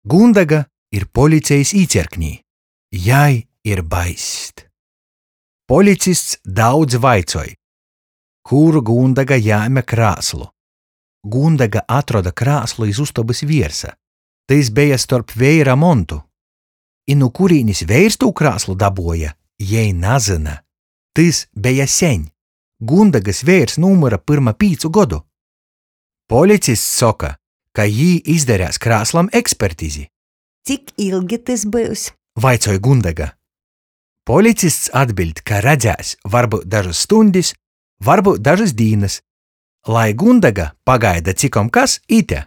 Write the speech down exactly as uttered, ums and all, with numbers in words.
Gundega ir policejis īcierknī. Jai ir baist. Policists daudz vaicoj, kur Gundega jēme krāslu. Gundega atroda krāslu iz ustobys viersa. Tys beja storp veira montu. I nu kurīnis veirs tū krāslu dabuoja, jei nazyna. Tys beja seņ. Gundegys veirs nūmyra pyrma pīcu godu. Policists soka, ka jī izdareis krāslam ekspertizi. Cik ilgi tys byus? Vaicoj Gundega. Policists atbiļd, ka redzēs, varbyut dažys stuņdis, varbyut dažys dīnys. Lai Gundega pagaida cikom kas ite.